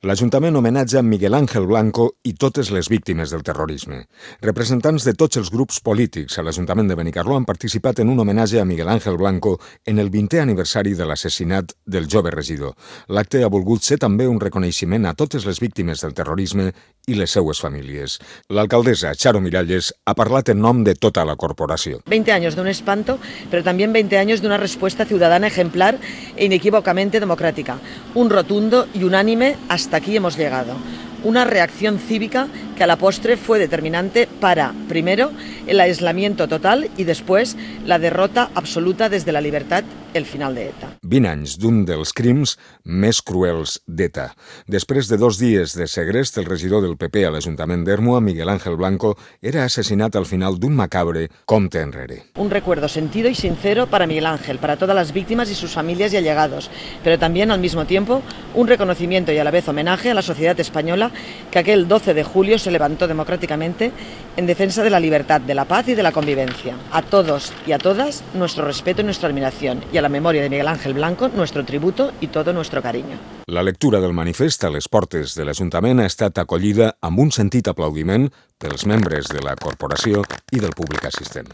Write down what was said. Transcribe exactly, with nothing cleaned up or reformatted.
L'Ajuntament homenatja Miguel Ángel Blanco i totes les víctimes del terrorisme. Representants de tots els grups polítics a l'Ajuntament de Benicarló han participat en un homenatge a Miguel Ángel Blanco en el vintè aniversari de l'assassinat del jove regidor. L'acte ha volgut ser també un reconeixement a totes les víctimes del terrorisme i les seues famílies. L'alcaldessa Charo Miralles ha parlat en nom de tota la corporació. veinte años de un espanto, pero también veinte años de una respuesta ciudadana ejemplar e inequívocamente democrática. Un rotundo y unánime hasta aquí hemos llegado. Una reacción cívica que a la postre fue determinante para, primero, el aislamiento total y después la derrota absoluta desde la libertad, el final de ETA. vint anys d'un dels crims més cruels d'ETA. Després de dos dies de segrest, el regidor del P P a l'Ajuntament d'Ermua, Miguel Ángel Blanco, era assassinat al final d'un macabre compte enrere. Un recuerdo sentido y sincero para Miguel Ángel, para todas las víctimas y sus familias y allegados, pero también al mismo tiempo un reconocimiento y a la vez homenaje a la sociedad española que aquel doce de julio se levantó democráticamente en defensa de la libertad, de la paz y de la convivencia. A todos y a todas nuestro respeto y nuestra admiración, y a la memoria de Miguel Ángel Blanco nuestro tributo y todo nuestro cariño. La lectura del manifest a les portes de l'Ajuntament ha estat acollida amb un sentit aplaudiment pels membres de la corporació i del públic assistent.